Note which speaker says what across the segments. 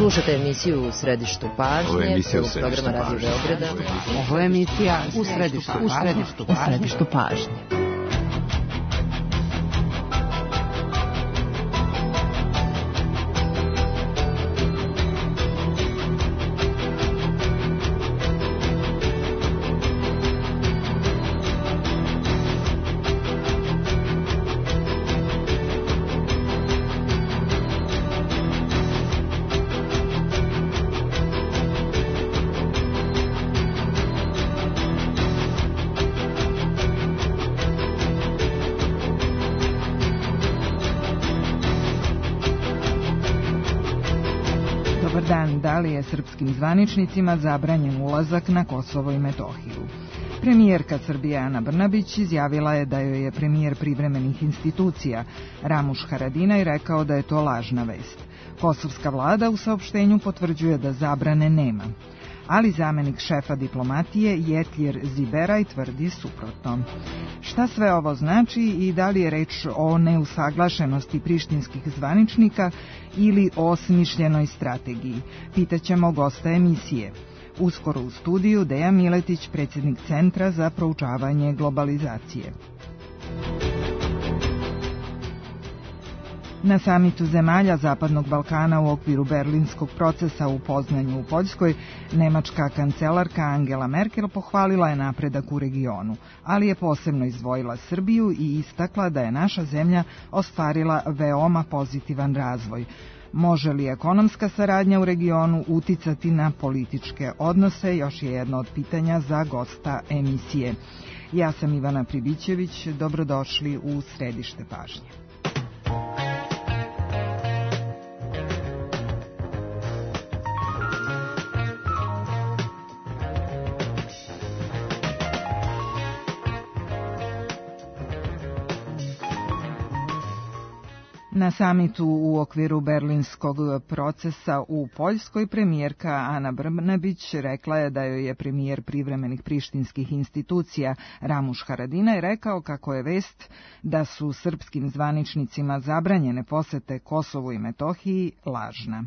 Speaker 1: Slušate emisiju U središtu pažnje, programa Radio Beograda.
Speaker 2: Ovo je emisija U središtu pažnje. Da li je srpskim zvaničnicima zabranjen ulazak na Kosovo i Metohiju? Premijerka Srbije Ana Brnabić izjavila je da joj je premijer privremenih institucija Ramuš Haradinaj rekao da je to lažna vest. Kosovska vlada u saopštenju potvrđuje da zabrane nema. Ali zamenik šefa diplomatije Jetljer Ziberaj tvrdi suprotno. Šta sve ovo znači i da li je reč o neusaglašenosti prištinskih zvaničnika ili o smišljenoj strategiji? Pitaćemo gosta emisije. Uskoro u studiju Deja Miletić, predsjednik Centra za proučavanje globalizacije. Na samitu zemalja Zapadnog Balkana u okviru berlinskog procesa u Poznanju u Poljskoj, nemačka kancelarka Angela Merkel pohvalila je napredak u regionu, ali je posebno izdvojila Srbiju i istakla da je naša zemlja ostvarila veoma pozitivan razvoj. Može li ekonomska saradnja u regionu uticati na političke odnose? Još je jedno od pitanja za gosta emisije. Ja sam Ivana Pribićević, dobrodošli u središte pažnje. Na samitu u okviru berlinskog procesa u Poljskoj premijerka Ana Brnabić rekla je da joj je premijer privremenih prištinskih institucija Ramuš Haradinaj rekao kako je vest da su srpskim zvaničnicima zabranjene posete Kosovu i Metohiji lažna.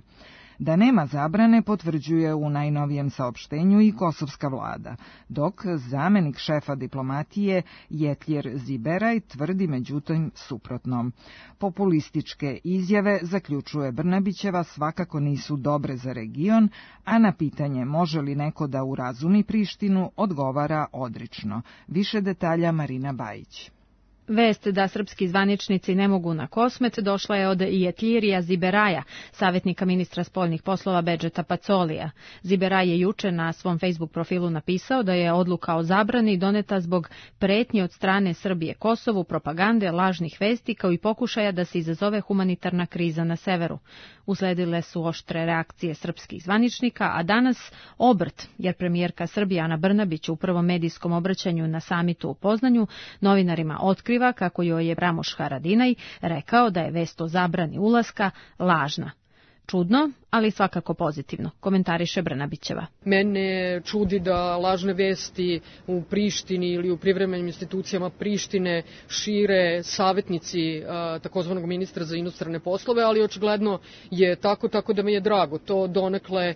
Speaker 2: Da nema zabrane potvrđuje u najnovijem saopštenju i kosovska vlada, dok zamenik šefa diplomatije Jetljer Ziberaj tvrdi međutim suprotno. Populističke izjave, zaključuje Brnabićeva, svakako nisu dobre za region, a na pitanje može li neko da urazumi Prištinu odgovara odrično. Više detalja Marina Bajić.
Speaker 3: Vest da srpski zvaničnici ne mogu na Kosmet došla je od Jetljirija Ziberaja, savjetnika ministra spoljnih poslova Bedžeta Pacolija. Ziberaj je juče na svom Facebook profilu napisao da je odluka o zabrani doneta zbog pretnji od strane Srbije Kosovu, propagande, lažnih vesti kao i pokušaja da se izazove humanitarna kriza na severu. Usledile su oštre reakcije srpskih zvaničnika, a danas obrt, jer premijerka Srbije Ana Brnabić u prvom medijskom obraćanju na samitu u Poznanju novinarima otkriva kako joj je Ramuš Haradinaj rekao da je vest o zabrani ulaska lažna. Čudno, ali svakako pozitivno, komentariše Brnabićeva.
Speaker 4: Mene čudi da lažne vesti u Prištini ili u privremenim institucijama Prištine šire savjetnici takozvanog ministra za inostrane poslove, ali očigledno je tako da mi je drago. To donekle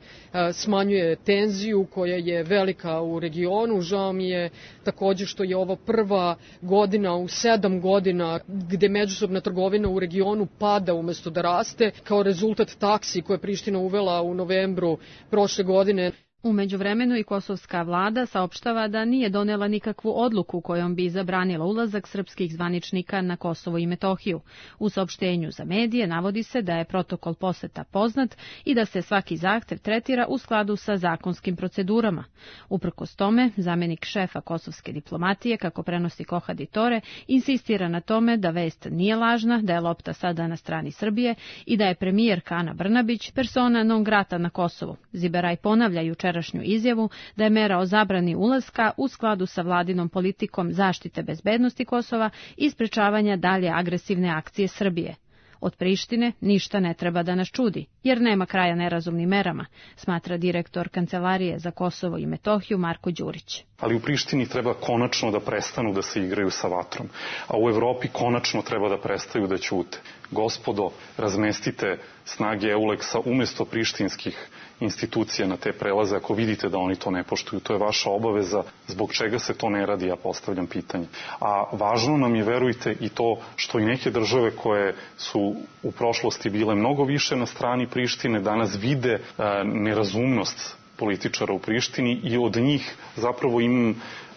Speaker 4: smanjuje tenziju koja je velika u regionu. Žao mi je također što je ovo prva godina u 7 godina gde međusobna trgovina u regionu pada umjesto da raste, kao rezultat taksi koje Priština uvela u novembru prošle godine.
Speaker 3: U međuvremenu i kosovska vlada saopštava da nije donela nikakvu odluku kojom bi zabranila ulazak srpskih zvaničnika na Kosovo i Metohiju. U saopštenju za medije navodi se da je protokol poseta poznat i da se svaki zahtev tretira u skladu sa zakonskim procedurama. Uprkos tome, zamenik šefa kosovske diplomatije, kako prenosi Kohad Tore, insistira na tome da vest nije lažna, da je lopta sada na strani Srbije i da je premijerka Ana Brnabić persona non grata na Kosovu. Ziberaj ponavlja jučerašnju izjavu da je mera o zabrani ulaska u skladu sa vladinom politikom zaštite bezbednosti Kosova i sprečavanja dalje agresivne akcije Srbije. Od Prištine ništa ne treba da nas čudi, jer nema kraja nerazumnim merama, smatra direktor Kancelarije za Kosovo i Metohiju Marko Đurić.
Speaker 5: Ali u Prištini treba konačno da prestanu da se igraju sa vatrom, a u Evropi konačno treba da prestaju da ćute. Gospodo, razmestite snage EULEX-a umesto prištinskih institucija na te prelaze ako vidite da oni to ne poštuju. To je vaša obaveza. Zbog čega se to ne radi, ja postavljam pitanje. A važno nam je, verujte, i to što i neke države koje su u prošlosti bile mnogo više na strani Prištine danas vide nerazumnost političara u Prištini i od njih zapravo imam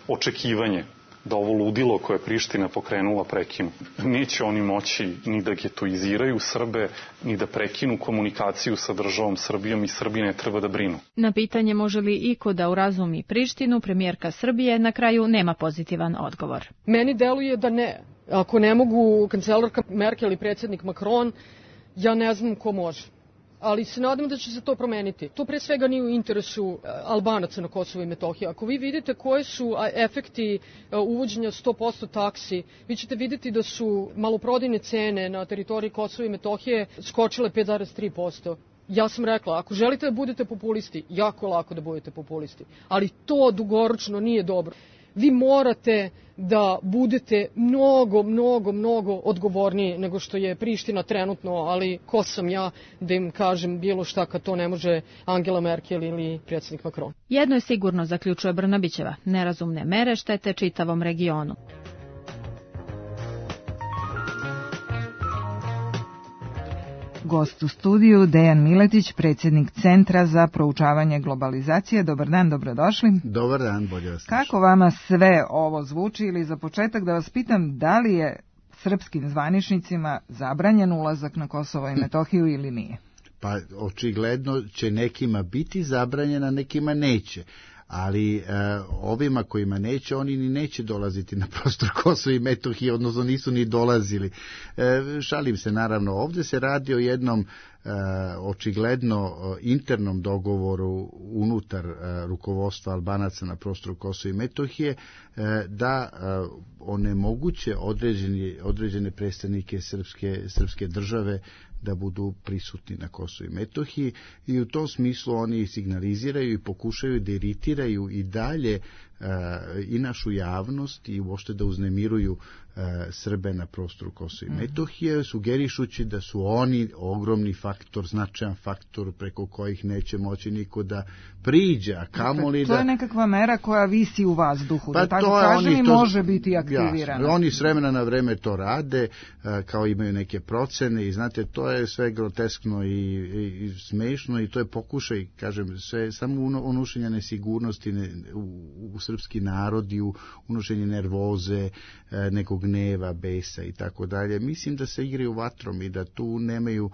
Speaker 5: očekivanje da ovo ludilo koje je Priština pokrenula prekinu. Neće oni moći ni da getoiziraju Srbe, ni da prekinu komunikaciju sa državom Srbijom i Srbi ne treba da brinu.
Speaker 3: Na pitanje može li iko da urazumi Prištinu, premijerka Srbije na kraju nema pozitivan odgovor.
Speaker 4: Meni deluje da ne. Ako ne mogu kancelarka Merkel i predsjednik Macron, ja ne znam ko može. Ali se nadam da će se to promeniti. To pre svega nije u interesu Albanaca na Kosovo i Metohiji. Ako vi vidite koje su efekti uvođenja 100% taksi, vi ćete vidjeti da su maloprodajne cene na teritoriji Kosova i Metohije skočile 5,3%. Ja sam rekla, ako želite da budete populisti, jako lako da budete populisti, ali to dugoročno nije dobro. Vi morate da budete mnogo odgovorniji nego što je Priština trenutno, ali ko sam ja da im kažem bilo šta kad to ne može Angela Merkel ili predsjednik Macron.
Speaker 3: Jedno je sigurno, zaključuje Brnabićeva, nerazumne mere štete čitavom regionu.
Speaker 2: Gost u studiju Dejan Miletić, predsjednik Centra za proučavanje globalizacije. Dobar dan, dobrodošli.
Speaker 6: Dobar dan, bolje vas.
Speaker 2: Kako vama sve ovo zvuči, ili za početak da vas pitam da li je srpskim zvaničnicima zabranjen ulazak na Kosovo i Metohiju ili nije?
Speaker 6: Pa očigledno će nekima biti zabranjena, nekima neće. Ali ovima kojima neće, oni ni neće dolaziti na prostor Kosova i Metohije, odnosno nisu ni dolazili. Šalim se, naravno, ovdje se radi o jednom očigledno internom dogovoru unutar rukovodstva Albanaca na prostoru Kosova i Metohije da onemoguće određene predstavnike srpske države da budu prisutni na Kosovu i Metohiji i u tom smislu oni signaliziraju i pokušaju da iritiraju i dalje i našu javnost i uopšte da uznemiruju Srbe na prostoru Kosova i Metohije, sugerišući da su oni ogromni faktor, značajan faktor preko kojih neće moći niko da priđe, a kamoli da...
Speaker 2: To je nekakva mera koja visi u vazduhu, da tako kažem, i može biti aktivirana.
Speaker 6: Oni s vremena na vreme to rade, kao imaju neke procene i znate, to je sve groteskno i smešno i to je pokušaj, kažem, sve samo unošenja nesigurnosti u srpski narod i unošenje nervoze, nekog gneva, besa i tako dalje. Mislim da se igraju vatrom i da tu nemaju,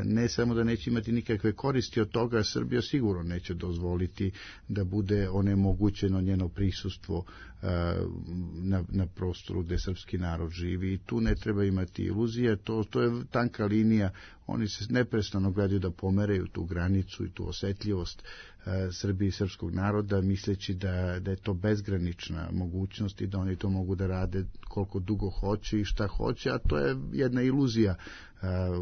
Speaker 6: ne samo da neće imati nikakve koristi od toga, Srbija sigurno neće dozvoliti da bude onemogućeno njeno prisustvo na prostoru gde srpski narod živi i tu ne treba imati iluzije, to je tanka linija, oni se neprestano gledaju da pomeraju tu granicu i tu osetljivost Srbije i srpskog naroda, misleći da je to bezgranična mogućnost i da oni to mogu da rade koliko dugo hoće i šta hoće, a to je jedna iluzija.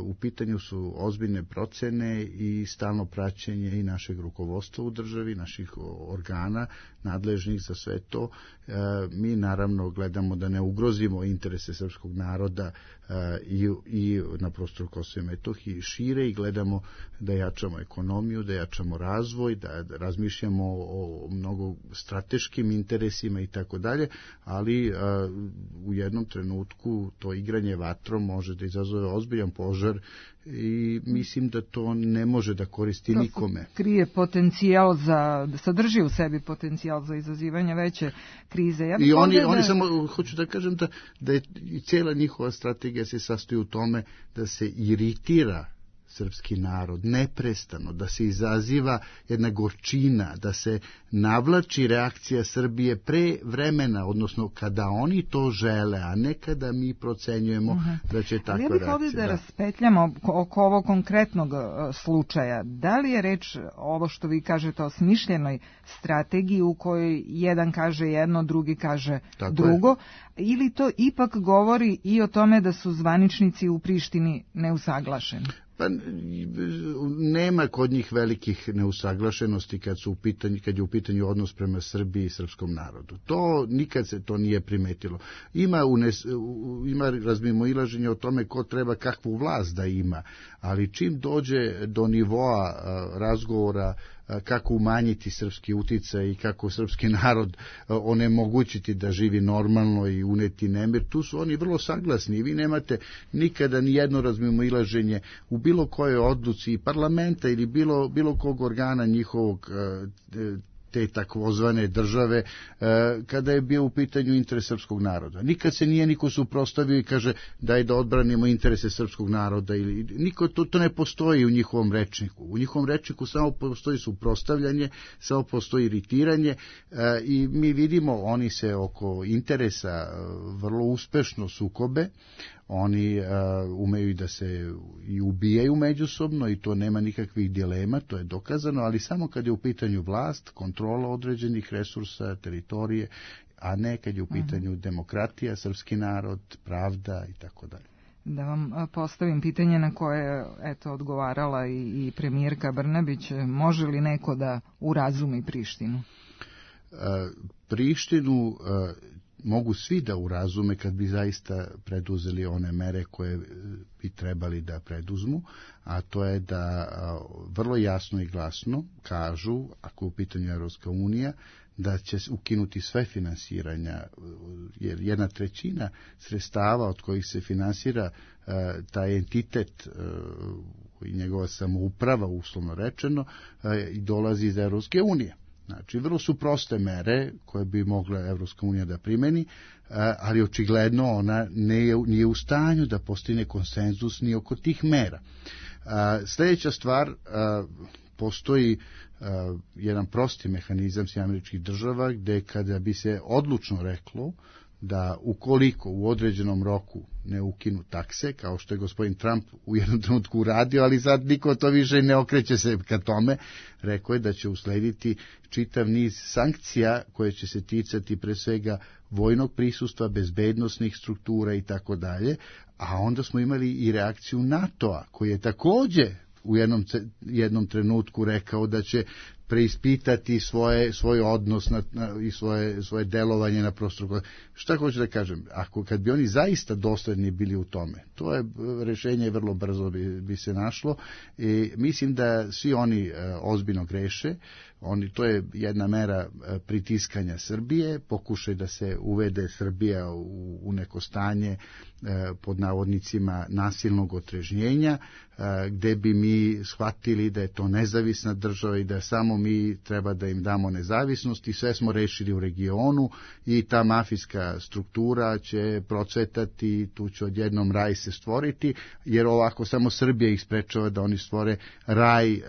Speaker 6: U pitanju su ozbiljne procene i stalno praćenje i našeg rukovodstva u državi, naših organa nadležnih za sve to. Mi naravno gledamo da ne ugrozimo interese srpskog naroda i na prostoru Kosova i Metohije šire i gledamo da jačamo ekonomiju, da jačamo razvoj, da razmišljamo o mnogo strateškim interesima i tako dalje, ali u jednom trenutku to igranje vatrom može da izazove ozbiljan požar i mislim da to ne može da koristi nikome.
Speaker 2: Krije potencijal sadrži u sebi potencijal za izazivanje veće krize.
Speaker 6: I oni samo, hoću da kažem da je cijela njihova strategija se sastoji u tome da se iritira srpski narod, neprestano, da se izaziva jedna gorčina, da se navlači reakcija Srbije pre vremena, odnosno kada oni to žele, a ne kada mi procenjujemo da će takva reakcija. Ali ja bih ovdje
Speaker 2: da raspetljamo oko ovog konkretnog slučaja. Da li je reč, ovo što vi kažete, o smišljenoj strategiji u kojoj jedan kaže jedno, drugi kaže drugo, ili to ipak govori i o tome da su zvaničnici u Prištini neusaglašeni?
Speaker 6: Pa nema kod njih velikih neusaglašenosti kad je u pitanju odnos prema Srbiji i srpskom narodu. To nikad se to nije primetilo. Ima razmimoilaženje o tome ko treba kakvu vlast da ima, ali čim dođe do nivoa razgovora kako umanjiti srpski uticaj i kako srpski narod onemogućiti da živi normalno i uneti nemir, tu su oni vrlo saglasni i vi nemate nikada ni jedno razmimoilaženje u bilo kojoj odluci i parlamenta ili bilo kog organa njihovog te takvozvane države kada je bio u pitanju interes srpskog naroda. Nikad se nije niko suprotstavio i kaže daj da odbranimo interese srpskog naroda ili niko to ne postoji u njihovom rečniku. U njihovom rečniku samo postoji suprotstavljanje, samo postoji iritiranje i mi vidimo oni se oko interesa vrlo uspešno sukobe. Oni umeju da se i ubijaju međusobno i to nema nikakvih dilema, to je dokazano, ali samo kad je u pitanju vlast, kontrola određenih resursa, teritorije, a ne kad je u pitanju demokratija, srpski narod, pravda i tako dalje.
Speaker 2: Da vam postavim pitanje na koje je odgovarala i premijerka Brnabić, može li neko da urazumi Prištinu?
Speaker 6: Prištinu mogu svi da urazume kad bi zaista preduzeli one mere koje bi trebali da preduzmu, a to je da vrlo jasno i glasno kažu, ako je u pitanju Evropska unija, da će ukinuti sve finansiranja, jer 1/3 sredstava od kojih se finansira taj entitet i njegova samouprava, uslovno rečeno, dolazi iz Evropske unije. Znači, vrlo su proste mere koje bi mogla Evropska unija da primeni, ali očigledno ona nije u stanju da postigne konsenzus ni oko tih mera. Sljedeća stvar, postoji jedan prosti mehanizam Sjedinjenih Država gde kada bi se odlučno reklo da ukoliko u određenom roku ne ukinu takse, kao što je gospodin Trump u jednom trenutku uradio, ali sad niko to više ne okreće se ka tome, rekao je da će uslediti čitav niz sankcija koje će se ticati pre svega vojnog prisustva, bezbednosnih struktura i tako dalje, a onda smo imali i reakciju NATO-a koji je takođe u jednom trenutku rekao da će preispitati svoj odnos i svoje delovanje na prostoru. Šta hoću da kažem? Kad bi oni zaista dosledni bili u tome, to je rešenje vrlo brzo bi se našlo i mislim da svi oni ozbiljno greše. To je jedna mera pritiskanja Srbije, pokušaj da se uvede Srbija u neko stanje pod navodnicima nasilnog otrežnjenja, gde bi mi shvatili da je to nezavisna država i da samo mi treba da im damo nezavisnost i sve smo rešili u regionu i ta mafijska struktura će procvetati, tu će odjednom raj se stvoriti, jer ovako samo Srbija ih sprečava da oni stvore raj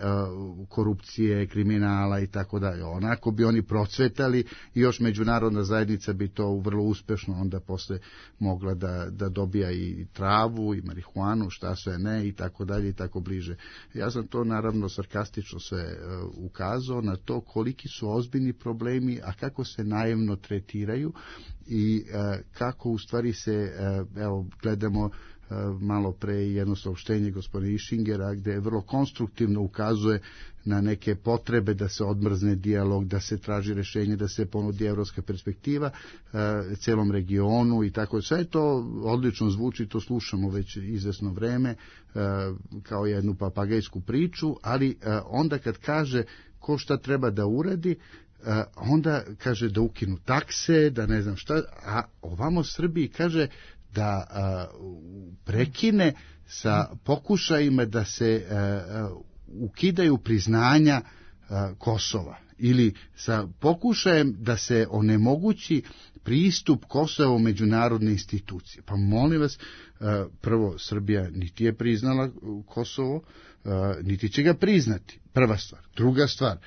Speaker 6: korupcije, kriminala i tako dalje. Onako bi oni procvetali i još međunarodna zajednica bi to vrlo uspešno onda posle mogla da dobija i travu i marihuanu, šta sve ne i tako dalje i tako bliže. Ja sam to naravno sarkastično sve ukazao na to koliki su ozbiljni problemi, a kako se naivno tretiraju i kako u stvari se, evo gledamo malo pre jedno saopštenje gospodina Išingera gde vrlo konstruktivno ukazuje na neke potrebe da se odmrzne dijalog, da se traži rešenje, da se ponudi evropska perspektiva celom regionu i tako. Sve to odlično zvuči, to slušamo već izvesno vreme kao jednu papagajsku priču, ali onda kad kaže ko šta treba da uradi, onda kaže da ukinu takse, da ne znam šta, a ovamo Srbiji kaže da prekine sa pokušajima da se ukidaju priznanja Kosova. ili sa pokušajem da se onemogući pristup Kosova u međunarodne institucije. Pa molim vas, prvo, Srbija niti je priznala Kosovo, niti će ga priznati. Prva stvar. Druga stvar,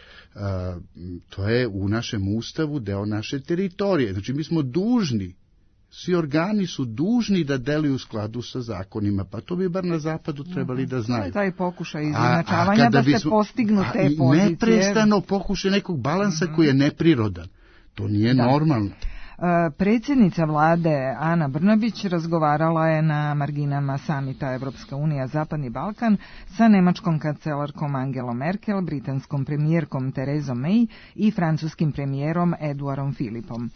Speaker 6: to je u našem ustavu deo naše teritorije. Znači, mi smo dužni, svi organi su dužni da deluju u skladu sa zakonima, pa to bi bar na zapadu trebali da znaju.
Speaker 2: To je taj pokušaj izjednačavanja da se postignu te pozicije.
Speaker 6: Neprestano pokušaj nekog balansa koji je neprirodan. To nije normalno.
Speaker 2: Predsjednica vlade Ana Brnabić razgovarala je na marginama samita Evropska unija Zapadni Balkan sa nemačkom kancelarkom Angelom Merkel, britanskom premijerkom Terezom May i francuskim premijerom Eduardom Philippom.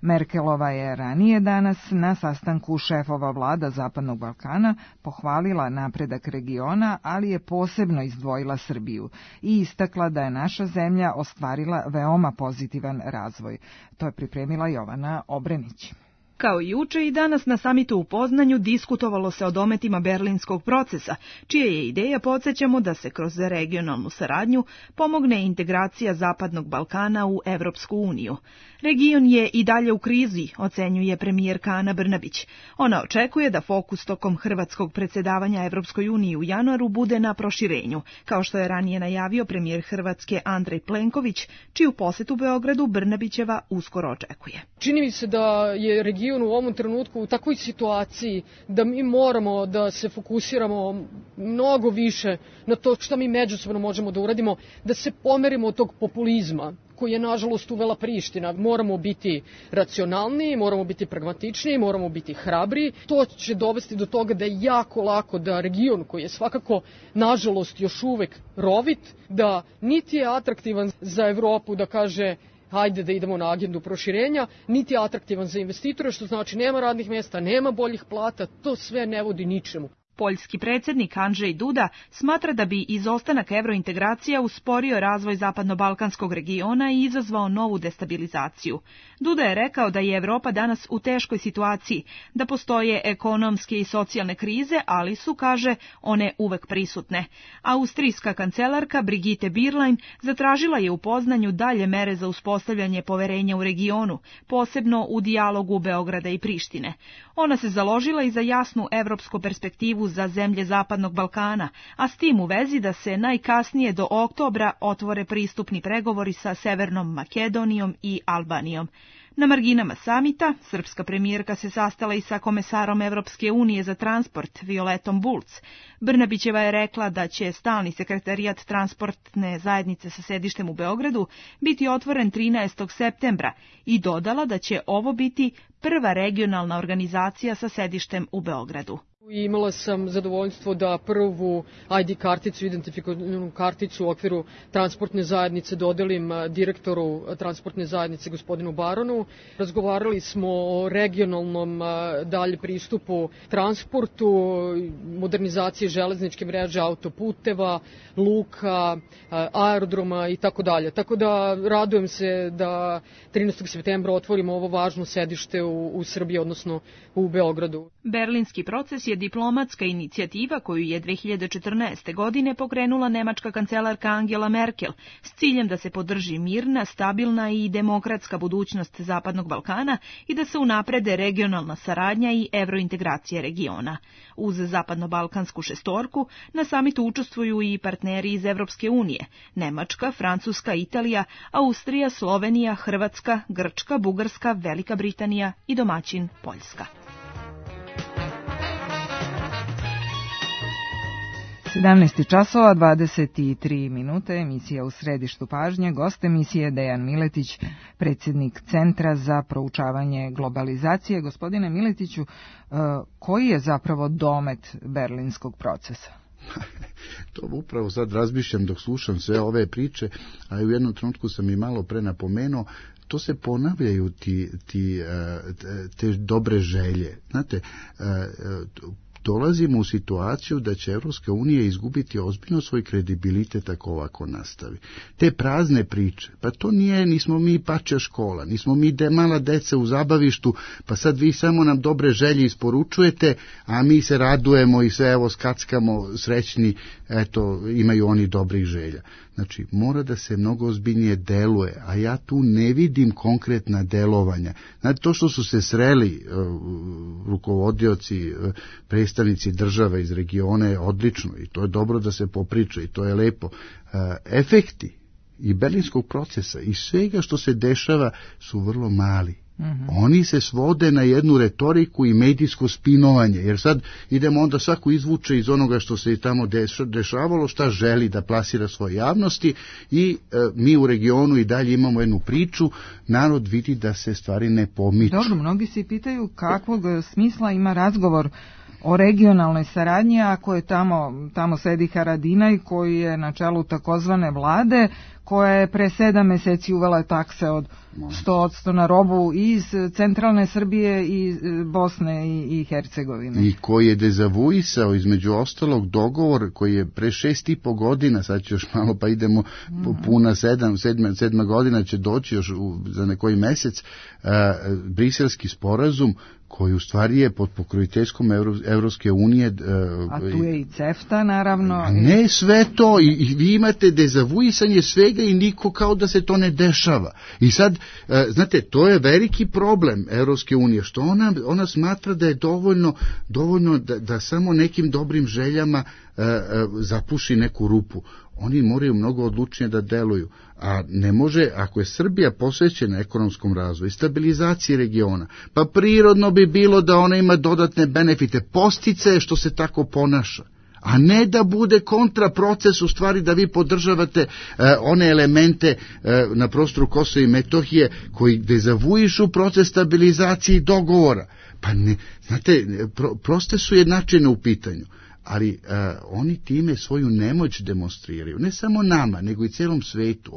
Speaker 2: Merkelova je ranije danas na sastanku šefova vlada Zapadnog Balkana pohvalila napredak regiona, ali je posebno izdvojila Srbiju i istakla da je naša zemlja ostvarila veoma pozitivan razvoj. To je pripremila Jovana Obrenić.
Speaker 7: Kao i juče i danas na samitu u Poznanju diskutovalo se o dometima berlinskog procesa, čija je ideja, podsjećamo, da se kroz regionalnu saradnju pomogne integracija Zapadnog Balkana u Evropsku uniju. Region je i dalje u krizi, ocenjuje premijerka Ana Brnabić. Ona očekuje da fokus tokom hrvatskog predsjedavanja Evropskoj uniji u januaru bude na proširenju, kao što je ranije najavio premijer Hrvatske Andrej Plenković, čiju posjetu Beogradu Brnabićeva uskoro očekuje.
Speaker 4: Čini mi se da je region u ovom trenutku u takvoj situaciji da mi moramo da se fokusiramo mnogo više na to što mi međusobno možemo da uradimo, da se pomerimo od tog populizma koji je nažalost uvela Priština. Moramo biti racionalniji, moramo biti pragmatičniji, moramo biti hrabri. To će dovesti do toga da je jako lako da region koji je svakako nažalost još uvek rovit, da niti je atraktivan za Evropu da kaže hajde da idemo na agendu proširenja, niti je atraktivan za investitore, što znači nema radnih mjesta, nema boljih plata, to sve ne vodi ničemu.
Speaker 7: Poljski predsjednik Andrzej Duda smatra da bi izostanak evrointegracija usporio razvoj zapadno-balkanskog regiona i izazvao novu destabilizaciju. Duda je rekao da je Evropa danas u teškoj situaciji, da postoje ekonomske i socijalne krize, ali su, kaže, one uvek prisutne. Austrijska kancelarka Brigitte Bierlein zatražila je u Poznanju dalje mere za uspostavljanje poverenja u regionu, posebno u dijalogu Beograda i Prištine. Ona se založila i za jasnu evropsku perspektivu za zemlje Zapadnog Balkana, a s tim u vezi da se najkasnije do oktobra otvore pristupni pregovori sa Severnom Makedonijom i Albanijom. Na marginama samita, srpska premijerka se sastala i sa komesarom Evropske unije za transport, Violetom Bulc. Brnabićeva je rekla da će stalni sekretarijat transportne zajednice sa sedištem u Beogradu biti otvoren 13. septembra i dodala da će ovo biti prva regionalna organizacija sa sedištem u Beogradu.
Speaker 4: Imala sam zadovoljstvo da prvu ID karticu, identifikativnu karticu u okviru transportne zajednice dodelim direktoru transportne zajednice gospodinu Baronu. Razgovarali smo o regionalnom dalje pristupu transportu, modernizaciji železničke mreže, autoputeva, luka, aerodroma i tako dalje. Tako da radujem se da 13. septembra otvorimo ovo važno sedište u Srbiji, odnosno u Beogradu.
Speaker 7: Berlinski proces je diplomatska inicijativa koju je 2014. godine pokrenula nemačka kancelarka Angela Merkel s ciljem da se podrži mirna, stabilna i demokratska budućnost Zapadnog Balkana i da se unaprede regionalna saradnja i evrointegracija regiona. Uz zapadno-balkansku šestorku na samitu učestvuju i partneri iz Evropske unije: Nemačka, Francuska, Italija, Austrija, Slovenija, Hrvatska, Grčka, Bugarska, Velika Britanija i domaćin Poljska.
Speaker 2: 17 časova, 23 minute, emisija u središtu pažnje. Gost emisije Dejan Miletić, predsjednik Centra za proučavanje globalizacije. Gospodine Miletiću, koji je zapravo domet berlinskog procesa?
Speaker 6: To upravo sad razmišljam dok slušam sve ove priče, a u jednom trenutku sam i malo pre napomenuo, to se ponavljaju te dobre želje. Znate, dolazimo u situaciju da će Evropska unija izgubiti ozbiljno svoj kredibilitet ako ovako nastavi. Te prazne priče, pa to nismo mi pačja škola, nismo mi mala deca u zabavištu, pa sad vi samo nam dobre želje isporučujete, a mi se radujemo i sve evo skackamo srećni, eto imaju oni dobrih želja. Znači, mora da se mnogo ozbiljnije deluje, a ja tu ne vidim konkretna delovanja. Znači, to što su se sreli rukovodioci, predstavnici država iz regiona je odlično i to je dobro da se popriča i to je lepo. Efekti i berlinskog procesa i svega što se dešava su vrlo mali. Oni se svode na jednu retoriku i medijsko spinovanje, jer sad idemo onda svako izvuče iz onoga što se i tamo dešavalo, šta želi da plasira svoje javnosti i mi u regionu i dalje imamo jednu priču, narod vidi da se stvari ne pomiču.
Speaker 2: Dobro, mnogi se pitaju kakvog smisla ima razgovor o regionalnoj saradnji, ako je tamo sedi Haradinaj koji je na čelu takozvane vlade, koja je pre 7 meseci uvela takse od 100% na robu iz centralne Srbije i Bosne i Hercegovine.
Speaker 6: I koji je dezavuisao između ostalog dogovor koji je pre 6,5 godina, sad će još malo pa idemo puna 7 godina će doći još za nekoji mesec, briselski sporazum koji u stvari je pod pokroviteljstvom Evropske unije.
Speaker 2: A tu je i CEFTA, naravno.
Speaker 6: Ne sve to, i vi imate dezavuisanje svega i niko kao da se to ne dešava. I sad, znate, to je veliki problem Evropske unije, što ona smatra da je dovoljno da samo nekim dobrim željama zapuši neku rupu. Oni moraju mnogo odlučnije da deluju, a ne može, ako je Srbija posvećena ekonomskom razvoju i stabilizaciji regiona, pa prirodno bi bilo da ona ima dodatne benefite, posticaje što se tako ponaša, a ne da bude kontraproces u stvari da vi podržavate one elemente na prostoru Kosova i Metohije koji dezavuišu proces stabilizacije i dogovora. Pa ne, znate, proste su jednačine u pitanju. Ali oni time svoju nemoć demonstriraju, ne samo nama, nego i celom svetu.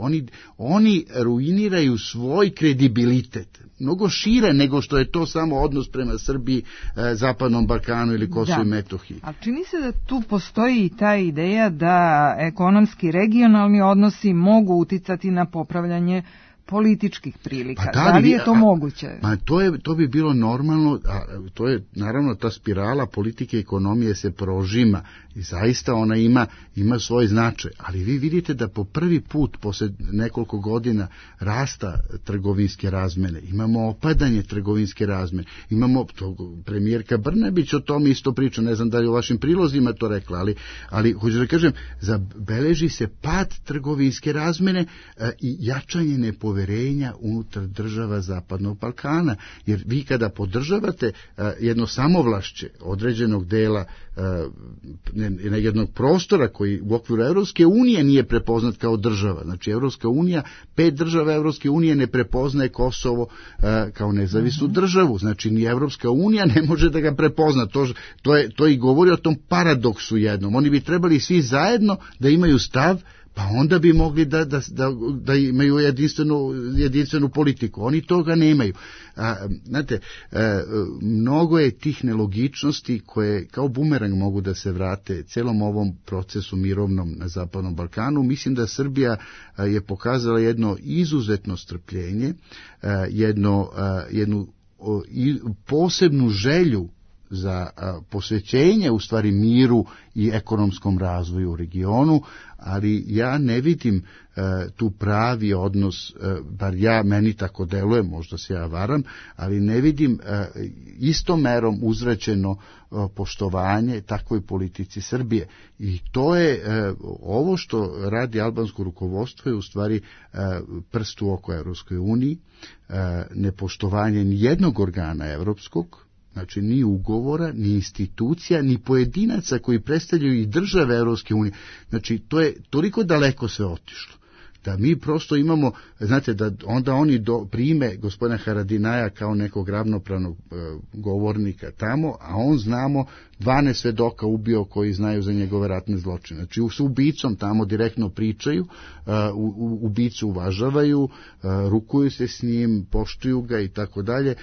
Speaker 6: Oni ruiniraju svoj kredibilitet, mnogo šire nego što je to samo odnos prema Srbiji, Zapadnom Balkanu ili Kosovu i Metohiji.
Speaker 2: Ali čini se da tu postoji i ta ideja da ekonomski regionalni odnosi mogu uticati na popravljanje političkih prilika. Da li je to moguće?
Speaker 6: To bi bilo normalno, a to je naravno ta spirala politike i ekonomije se prožima i zaista ona ima svoj značaj, ali vi vidite da po prvi put posle nekoliko godina rasta trgovinske razmene, imamo opadanje trgovinske razmene, imamo, premijerka Brnabić o tom isto priča, ne znam da li u vašim prilozima to rekla, ali hoću da kažem, zabeleži se pad trgovinske razmene i jačanje nepoverenja unutar država Zapadnog Balkana, jer vi kada podržavate jedno samovlašće određenog dela jednog prostora koji u okviru Evropske unije nije prepoznat kao država, znači Evropska unija, 5 država Evropske unije ne prepoznaje Kosovo kao nezavisnu državu, znači ni Evropska unija ne može da ga prepozna, to i govori o tom paradoksu jednom, oni bi trebali svi zajedno da imaju stav, pa onda bi mogli da imaju jedinstvenu politiku. Oni toga nemaju. Znate, mnogo je tih nelogičnosti koje kao bumerang mogu da se vrate celom ovom procesu mirovnom na Zapadnom Balkanu. Mislim da Srbija je pokazala jedno izuzetno strpljenje, jednu posebnu želju za posvećenje u stvari miru i ekonomskom razvoju u regionu, ali ja ne vidim tu pravi odnos, bar meni tako deluje, možda se ja varam, ali ne vidim istom merom uzvraćeno poštovanje takvoj politici Srbije. I to je, ovo što radi albansko rukovodstvo je u stvari prst u oko Evropskoj uniji, nepoštovanje nijednog organa evropskog, znači ni ugovora, ni institucija, ni pojedinaca koji predstavljaju i države Evropske unije. Znači to je toliko daleko sve otišlo da mi prosto imamo, znate, da onda oni prime gospodina Haradinaja kao nekog ravnopravnog govornika tamo, a on znamo 12 svedoka ubio koji znaju za njegove ratne zločine. Znači, s ubicom tamo direktno pričaju, ubicu uvažavaju, rukuju se s njim, poštuju ga i tako dalje.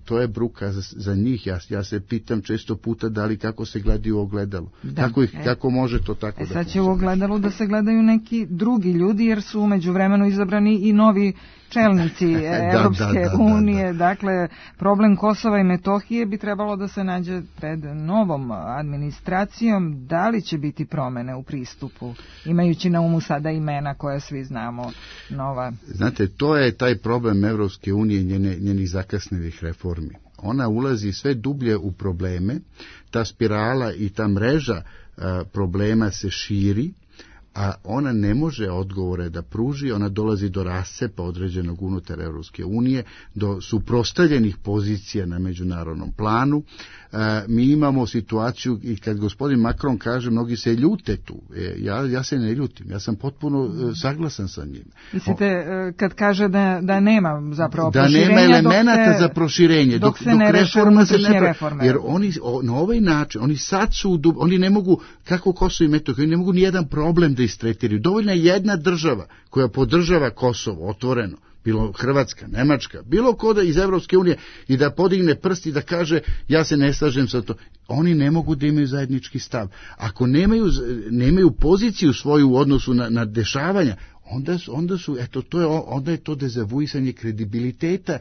Speaker 6: To je bruka za njih. Ja se pitam često puta da li kako se gledaju u ogledalo. Kako može to tako da
Speaker 2: sad će u ogledalu da se gledaju neki drugi ljudi, jer su umeđu vremenu izabrani i novi čelnici Evropske unije. Dakle, problem Kosova i Metohije bi trebalo da se nađe pred novom administracijom. Da li će biti promene u pristupu, imajući na umu sada imena koja svi znamo nova?
Speaker 6: Znate, to je taj problem Evropske unije i njenih zakasnelih reformi. Ona ulazi sve dublje u probleme, ta spirala i ta mreža problema se širi, a ona ne može odgovore da pruži, ona dolazi do rascepa određenog unutar Evropske unije, do suprotstavljenih pozicija na međunarodnom planu. Mi imamo situaciju i kad gospodin Macron kaže, mnogi se ljute tu, ja se ne ljutim, ja sam potpuno saglasan sa njim.
Speaker 2: Mislite, kad kaže da nema zapravo
Speaker 6: da
Speaker 2: proširenja,
Speaker 6: nema elemenata za proširenje,
Speaker 2: dok se ne
Speaker 6: reforma se ne
Speaker 2: reforme.
Speaker 6: Jer oni na ovaj način, oni sad su, oni ne mogu, kako Kosovo i Metohija, oni ne mogu ni jedan problem da istretiraju. Dovoljna je jedna država koja podržava Kosovo otvoreno, bilo Hrvatska, Nemačka, bilo ko da iz Evropske unije i da podigne prst i da kaže ja se ne slažem sa to. Oni ne mogu da imaju zajednički stav. Ako nemaju poziciju svoju u odnosu na dešavanja, onda je to dezavuisanje kredibiliteta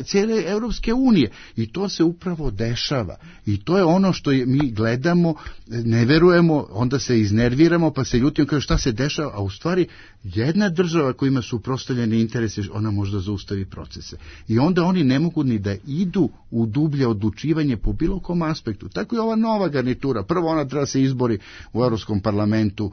Speaker 6: cijele Evropske unije i to se upravo dešava i to je ono što mi gledamo, ne verujemo, onda se iznerviramo pa se ljutimo kao šta se dešava, a u stvari jedna država koja ima suprotstavljene interese, ona može da zaustavi procese i onda oni ne mogu ni da idu u dublje odlučivanje po bilo kom aspektu. Tako je ova nova garnitura, prvo ona treba se izbori u Evropskom parlamentu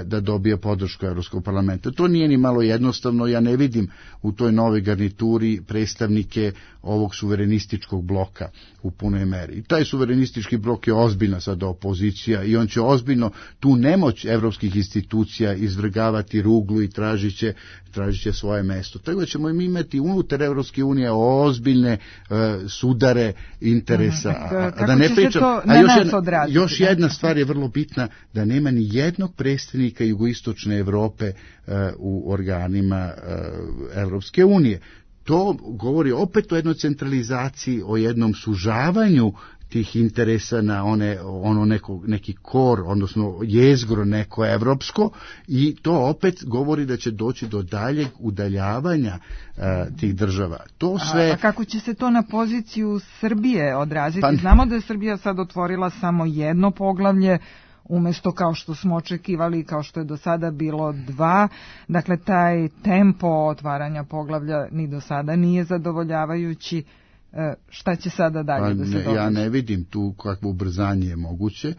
Speaker 6: da dobije podršku Evropskog parlamenta. To nije ni malo jednostavno, ja ne vidim u toj novoj garnituri predstavnike ovog suverenističkog bloka u punoj meri. I taj suverenistički blok je ozbiljna sada opozicija i on će ozbiljno tu nemoć evropskih institucija izvrgavati ruglu i tražit će svoje mesto. Tako da ćemo imati unutar Evropske unije ozbiljne sudare interesa.
Speaker 2: Da ne pričam,
Speaker 6: još jedna stvar je vrlo bitna, da nema ni jednog predstavnika jugoistočne Evrope u organima Evropske unije. To govori opet o jednoj centralizaciji, o jednom sužavanju tih interesa na neki kor, odnosno jezgro neko evropsko i to opet govori da će doći do daljeg udaljavanja tih država. To sve...
Speaker 2: A kako će se to na poziciju Srbije odraziti? Znamo da je Srbija sad otvorila samo jedno poglavlje, umjesto kao što smo očekivali, kao što je do sada bilo 2. Dakle, taj tempo otvaranja poglavlja ni do sada nije zadovoljavajući. Šta će sada dalje da se događa?
Speaker 6: Ja ne vidim tu kakvo ubrzanje je moguće.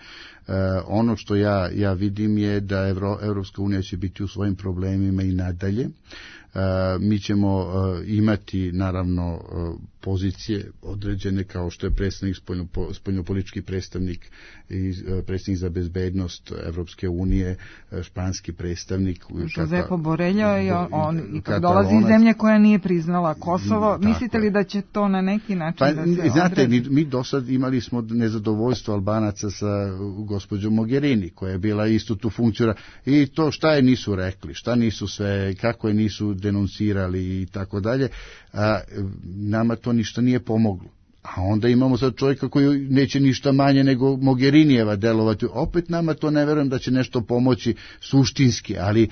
Speaker 6: Ono što ja vidim je da Evropska unija će biti u svojim problemima i nadalje. Mi ćemo imati naravno pozicije određene kao što je predstavnik spoljnopolitički predstavnik i predstavnik za bezbednost Evropske unije, španski predstavnik
Speaker 2: Josepo Borello i kad dolazi iz zemlje koja nije priznala Kosovo, mislite li da će to na neki način da se odredi?
Speaker 6: Znate, mi do sad imali smo nezadovoljstvo Albanaca sa gospođom Mogherini koja je bila isto tu funkcija i to šta je nisu rekli, šta nisu sve, kako je nisu denuncirali i tako dalje, a nama to ništa nije pomoglo. A onda imamo sad čovjeka koji neće ništa manje nego Mogherinijeva delovati. Opet nama to ne verujem da će nešto pomoći suštinski, ali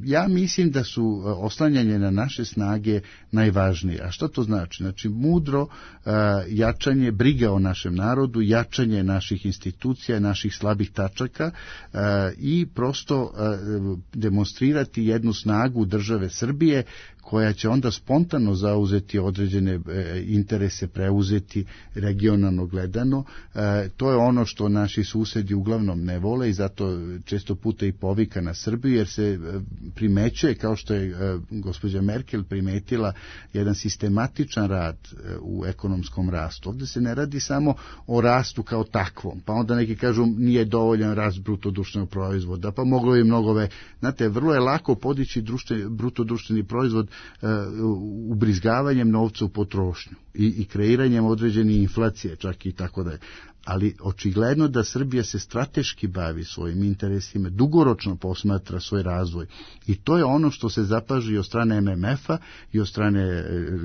Speaker 6: ja mislim da su oslanjanje na naše snage najvažnije. A što to znači? Znači mudro jačanje, briga o našem narodu, jačanje naših institucija, naših slabih tačaka i prosto demonstrirati jednu snagu države Srbije koja će onda spontano zauzeti određene interese, preuzeti regionalno gledano. To je ono što naši susedi uglavnom ne vole i zato često puta i povika na Srbiju, jer se primećuje, kao što je gospođa Merkel primetila, jedan sistematičan rad u ekonomskom rastu. Ovdje se ne radi samo o rastu kao takvom, pa onda neki kažu nije dovoljan rast bruto društvenog proizvoda, pa moglo je mnogo Znate, vrlo je lako podići bruto društveni proizvod ubrizgavanjem novca u potrošnju. i kreiranjem određene inflacije, čak i tako da je. Ali očigledno da Srbija se strateški bavi svojim interesima, dugoročno posmatra svoj razvoj. I to je ono što se zapaži od strane MMF-a i od strane,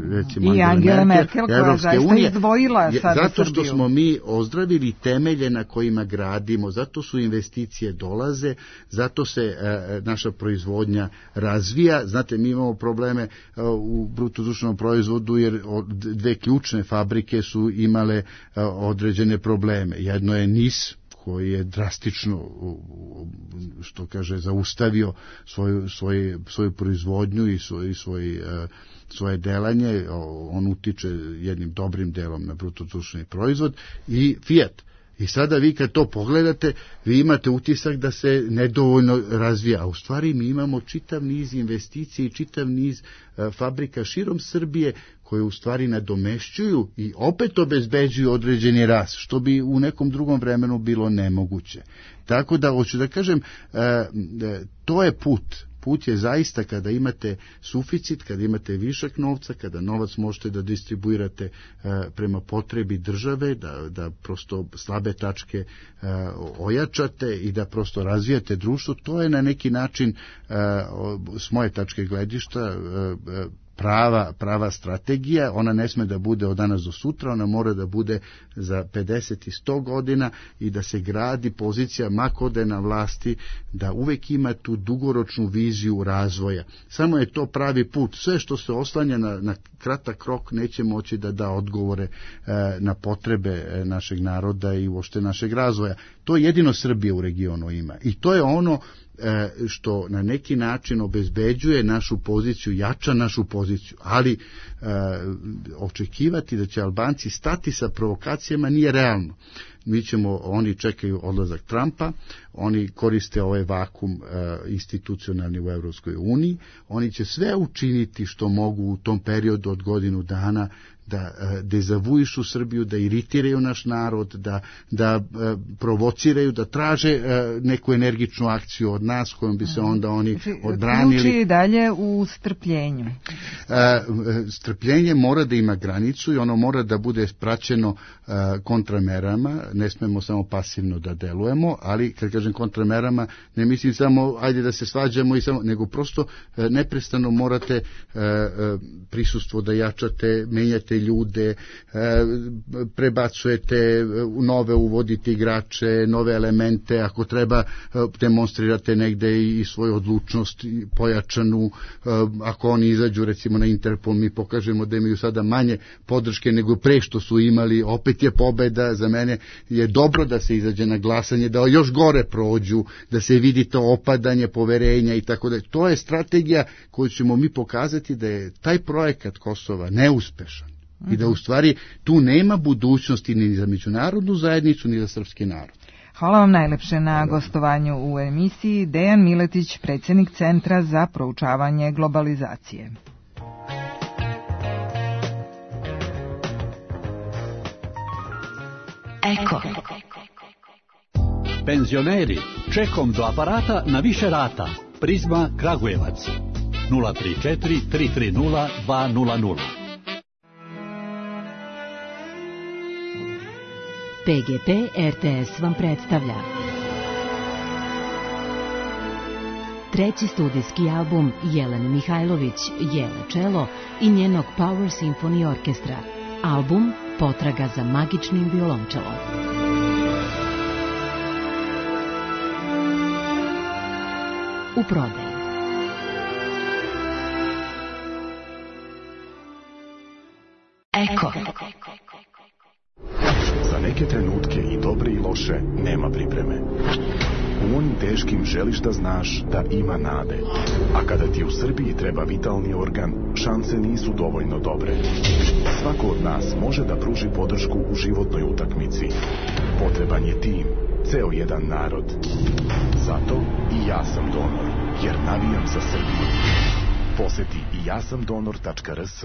Speaker 6: recimo,
Speaker 2: i Angela Merkel, koja zaista izdvojila sada
Speaker 6: zato što smo mi ozdravili temelje na kojima gradimo, zato su investicije dolaze, zato se naša proizvodnja razvija. Znate, mi imamo probleme u bruto-društvenom proizvodu, jer dve ključne fabrike su imale određene probleme. Jedno je NIS, koji je drastično, što kaže, zaustavio svoju proizvodnju i svoje delanje. On utiče jednim dobrim delom na bruto-društveni proizvod, i Fiat. I sada vi kad to pogledate, vi imate utisak da se nedovoljno razvija, a u stvari mi imamo čitav niz investicija i čitav niz fabrika širom Srbije koje u stvari nadomešćuju i opet obezbeđuju određeni rast, što bi u nekom drugom vremenu bilo nemoguće. Tako da, hoću da kažem, to je put. Put je zaista kada imate suficit, kada imate višak novca, kada novac možete da distribuirate prema potrebi države, da prosto slabe tačke ojačate i da prosto razvijate društvo. To je na neki način, s moje tačke gledišta, prava strategija. Ona ne sme da bude od danas do sutra, ona mora da bude za 50 i 100 godina i da se gradi pozicija makode na vlasti, da uvek ima tu dugoročnu viziju razvoja. Samo je to pravi put. Sve što se oslanja na kratak rok neće moći da da odgovore na potrebe našeg naroda i uopšte našeg razvoja. To jedino Srbija u regionu ima. I to je ono što na neki način obezbeđuje našu poziciju, jača našu poziciju, ali očekivati da će Albanci stati sa provokacijama nije realno. Oni čekaju odlazak Trumpa, oni koriste ovaj vakum institucionalni u Evropskoj uniji, oni će sve učiniti što mogu u tom periodu od godinu dana da dezavuišu Srbiju, da iritiraju naš narod, da provociraju, da traže neku energičnu akciju od nas kojom bi se onda oni odbranili.
Speaker 2: Ključ je dalje u strpljenju.
Speaker 6: Strpljenje mora da ima granicu i ono mora da bude praćeno kontramerama, ne smemo samo pasivno da delujemo, ali kad kažem kontramerama, ne mislim samo ajde da se svađamo, nego prosto neprestano morate prisustvo da jačate, menjate ljude, prebacujete nove, uvodite igrače, nove elemente, ako treba demonstrirate negde i svoju odlučnost pojačanu, ako oni izađu recimo na Interpol, mi pokažemo da imaju sada manje podrške nego pre što su imali, opet je pobeda. Za mene je dobro da se izađe na glasanje, da još gore prođu, da se vidi to opadanje poverenja i tako da. To je strategija koju ćemo mi pokazati da je taj projekat Kosova neuspešan i da u stvari tu nema budućnosti ni za međunarodnu zajednicu ni za srpski narod.
Speaker 2: Hvala vam najlepše na gostovanju u emisiji. Dejan Miletić, predsjednik Centra za proučavanje globalizacije.
Speaker 8: Eko.
Speaker 9: Penzioneri, čekom do aparata na više rata. Prizma Kragujevac 034 330 200.
Speaker 8: PGP RTS vam predstavlja treći studijski album Jelene Mihajlović, Jele Čelo i njenog Power Symphony Orkestra. Album Potraga za magičnim violončelom. U prodaji. Eko.
Speaker 10: Za neke trenutke i dobre i loše nema pripreme. U onim teškim želiš da znaš da ima nade. A kada ti u Srbiji treba vitalni organ, šanse nisu dovoljno dobre. Svako od nas može da pruži podršku u životnoj utakmici. Potreban je tim, ceo jedan narod. Zato i ja sam donor, jer navijam za Srbiju. Poseti i jasamdonor.rs.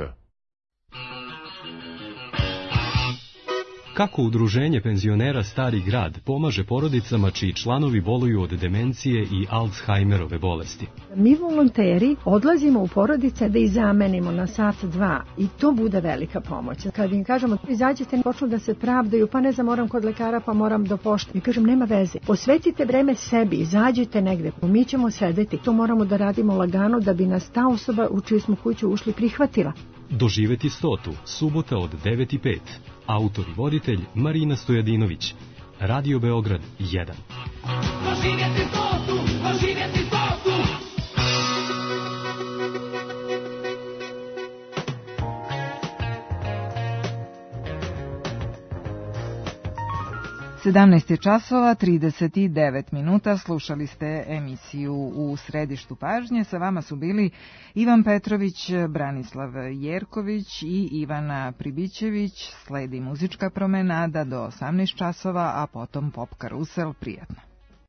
Speaker 11: Kako udruženje penzionera Stari grad pomaže porodicama čiji članovi boluju od demencije i Alzheimerove bolesti?
Speaker 12: Mi volonteri odlazimo u porodice da ih zamenimo na sat, dva i to bude velika pomoć. Kad im kažemo izađite, počnu da se pravdaju, pa ne znam, moram kod lekara, pa moram do pošte. Mi kažem nema veze, posvetite vreme sebi, izađite negde, mi ćemo sedeti. To moramo da radimo lagano da bi nas ta osoba u čiju smo kuću ušli prihvatila.
Speaker 11: Doživeti 100, subota od 9:05. Autor i voditelj Marina Stojadinović. Radio Beograd 1. Doživjeti 100, doživjeti 100.
Speaker 2: 17 časova 39 minuta, slušali ste emisiju U središtu pažnje. Sa vama su bili Ivan Petrović, Branislav Jerković i Ivana Pribićević. Sledi muzička promenada do 18 časova, a potom pop karusel. Prijatno.